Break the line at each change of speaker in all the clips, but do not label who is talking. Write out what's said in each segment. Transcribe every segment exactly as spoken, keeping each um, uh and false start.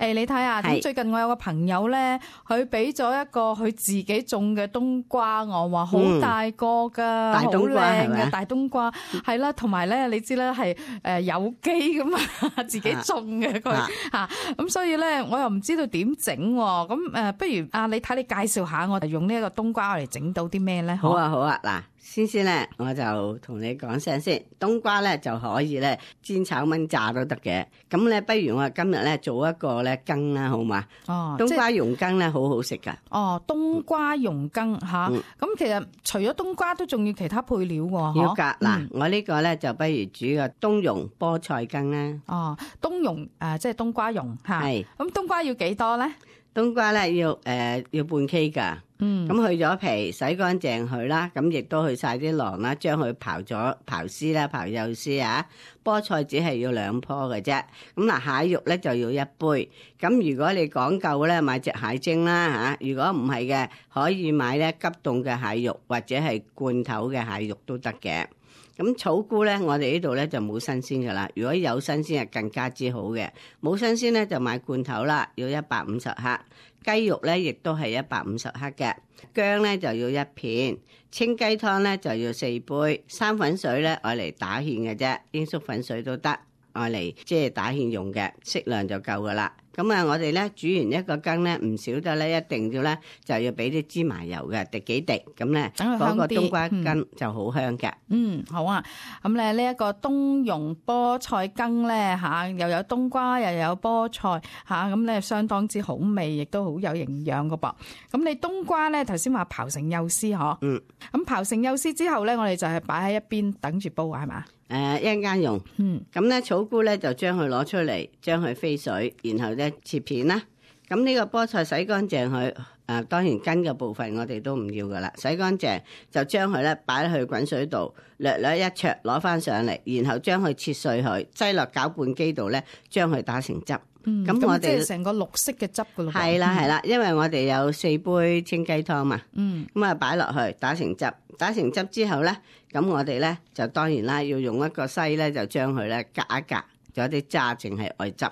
誒，你睇下，咁最近我有個朋友咧，佢俾咗一個佢自己種嘅冬瓜我，話好大個噶，好靚嘅大冬瓜，係啦，同埋咧，你知咧係誒有機噶嘛，自己種嘅佢吓，咁所以咧，我又唔知道點整，咁誒，不如啊，你睇你介紹下我哋用呢一個冬瓜嚟整到啲咩咧？
好啊，好啊，嗱。先先咧，我就同你講聲先，冬瓜咧就可以咧煎炒炆炸都得嘅。咁咧，不如我今日咧做一個咧羹啦，好嘛？哦，冬瓜蓉羹咧好好食噶。
哦，冬瓜蓉羹吓，咁、嗯、其實除咗冬瓜都仲要其他配料喎。
要噶，嗱、嗯，我呢個咧就不如煮個冬蓉菠菜羹啦。
哦，冬蓉誒、呃，即係冬瓜蓉吓。係。咁冬瓜要幾多咧？
冬瓜咧要誒、呃、要半 K 噶。嗯，咁去咗皮，洗乾淨佢啦，咁亦都去晒啲囊啦，將佢刨咗刨絲啦，刨幼絲啊。菠菜只係要兩棵嘅啫。咁嗱，蟹肉咧就要一杯。咁如果你講究咧，買隻蟹精啦吓。如果唔係嘅，可以買咧急凍嘅蟹肉或者係罐頭嘅蟹肉都得嘅。咁草菇咧，我哋呢度咧就冇新鮮噶啦。如果有新鮮，係更加之好嘅。冇新鮮咧，就買罐頭啦，要一百五十克。雞肉咧，亦都係一百五十克嘅。薑咧就要一片。清雞湯咧就要四杯。生粉水咧，愛嚟打芡嘅啫，鷹粟粉水都得，愛嚟即係打芡用嘅，適量就夠噶啦。咁啊，我哋咧煮完一個羹咧，唔少得咧，一定要咧就要俾啲芝麻油嘅，滴幾滴，咁咧嗰個冬瓜羹就好香嘅。
嗯，好啊。咁咧呢一個冬蓉菠菜羹咧吓，又有冬瓜又有菠菜吓，咁咧相當之好味，亦都好有營養噶噃。咁你冬瓜咧頭先話刨成幼絲嗬？嗯。咁刨成幼絲之後咧，我哋就係擺喺一邊等住煲係嘛？
誒、呃，一陣間用。嗯。咁咧草菇咧就將佢攞出嚟，將佢飛水，然後咧切片啦。咁呢個菠菜洗乾淨佢，誒、呃、當然根嘅部分我哋都唔要噶啦，洗乾淨就將佢咧擺去滾水度，略略一焯攞翻上嚟，然後將佢切碎佢，擠落攪拌機度咧，將佢打成汁。
嗯，咁我哋即係成個綠色嘅汁噶咯。
係啦係啦，因為我哋有四杯清雞湯嘛。嗯。咁啊擺落去打成汁，打成汁之後咧，咁我哋咧就當然啦，要用一個篩咧，就將佢咧隔一隔，有啲渣淨係外汁。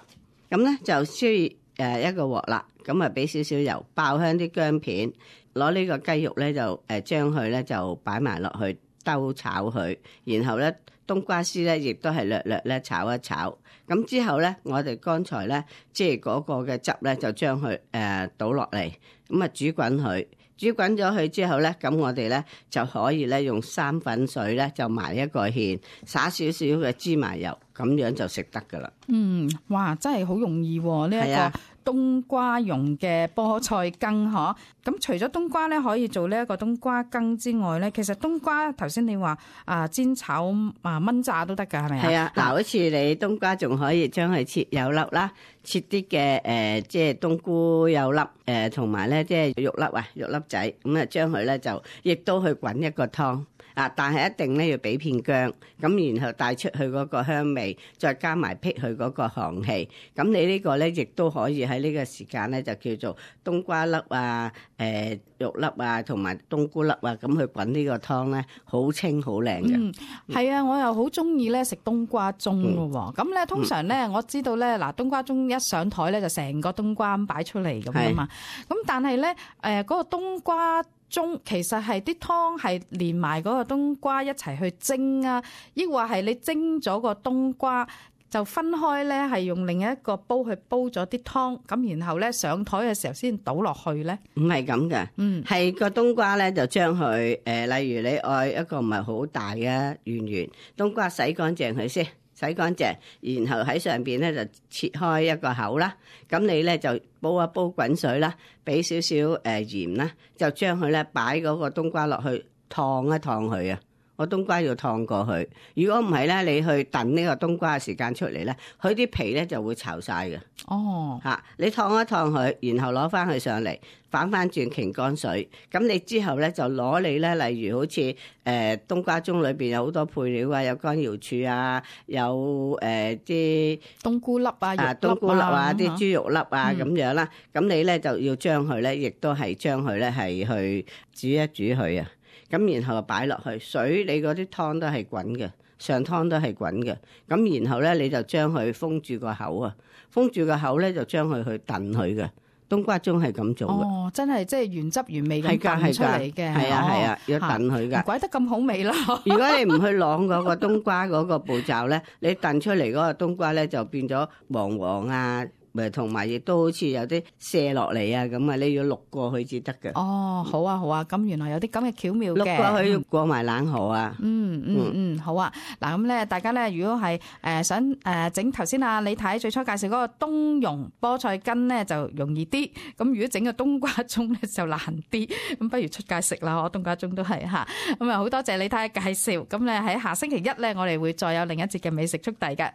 咁咧就需要誒一個鑊啦，咁啊俾少少油，爆香啲薑片，攞呢個雞肉咧就誒將佢咧就擺埋落去兜炒佢，然後咧冬瓜絲咧亦都係略略咧炒一炒，咁之後咧我哋剛才咧即係嗰個嘅汁咧就將佢誒倒落嚟，咁啊煮滾佢，煮滾咗佢之後咧，咁我哋咧就可以咧用生粉水咧就埋一個芡，灑少少嘅芝麻油，咁樣就食得噶啦。嗯，
哇，真係好容易喎！呢一個冬瓜蓉嘅菠菜羹嗬。咁除咗冬瓜咧可以做呢一個冬瓜羹之外咧，其實冬瓜頭先你話啊煎炒啊炆炸都得噶，係咪啊？係啊，嗱，好似你冬瓜仲可以將佢切幼粒啦，切啲嘅誒即係冬菇幼粒誒，同埋咧即係肉粒啊肉粒仔，咁啊將佢咧就亦都去滾一個湯。啊！但係一定咧要俾片薑，咁然後帶出去嗰個香味，再加埋辟去嗰個寒氣。咁你呢個咧亦都可以喺呢個時間咧就叫做冬瓜粒啊、誒、呃、肉粒啊同埋冬菇粒啊，咁去滾呢個湯咧，好清好靚嘅。嗯，係啊，我又好中意咧食冬瓜盅嘅喎。咁咧通常咧我知道咧嗱，冬瓜盅一上台咧就成個冬瓜咁擺出嚟咁啊嘛。咁但係咧誒嗰個冬瓜盅其實係啲湯係連埋嗰個冬瓜一齊去蒸啊，抑或係你蒸咗個冬瓜就分開咧，係用另一個煲去煲咗啲湯，咁然後咧上台嘅時候先倒落去咧？唔係咁嘅，嗯，係個冬瓜咧就將佢誒，例如你愛一個唔係好大嘅圓圓冬瓜，洗乾淨佢先。洗乾淨，然後喺上邊咧就切開一個口啦。咁你咧就煲一煲滾水啦，俾少少誒鹽啦，就將佢咧擺嗰個冬瓜落去燙一燙佢啊。個冬瓜要燙過去，如果唔係咧，你去燉呢個冬瓜嘅時間出嚟咧，佢啲皮咧就會巢晒嘅。哦，嚇、啊！你燙一燙佢，然後攞翻佢上嚟，反翻轉擎乾水。咁你之後咧就攞你咧，例如好似誒、呃、冬瓜盅裏邊有好多配料啊，有乾瑤柱啊，有誒啲、呃、冬菇粒啊，啊冬菇粒啊，啲豬肉粒啊咁、嗯、樣啦。咁你咧就要將佢咧，亦都係將佢咧係去煮一煮佢啊。咁然後擺落去水，你嗰啲湯都係滾嘅，
上湯都係滾嘅。咁然後咧你就將佢封住個口啊，封住個口咧就將佢去燉佢嘅。冬瓜盅係咁做嘅。
哦，真係即係原汁原味咁燉出嚟嘅。
係啊係啊，要燉佢㗎。
唔怪得咁好味啦。
如果你唔去晾嗰個冬瓜嗰個步驟咧，你燉出嚟嗰個冬瓜咧就變咗黃黃啊。咪同埋亦都好似有啲卸落嚟啊咁啊，你要渌過去至得嘅。
哦，好啊好啊，咁原來有啲咁嘅巧妙嘅。
渌過去要過埋冷河啊。
嗯嗯嗯，好啊。嗱咁咧，大家咧如果係誒想誒整頭先啊，你睇最初介紹嗰個冬蓉菠菜根咧就容易啲，咁如果整個冬瓜盅咧就難啲，咁不如出街食啦，我冬瓜盅都係嚇。咁啊好多謝你睇介紹，咁咧喺下星期一咧，我哋會再有另一節嘅美食速遞嘅。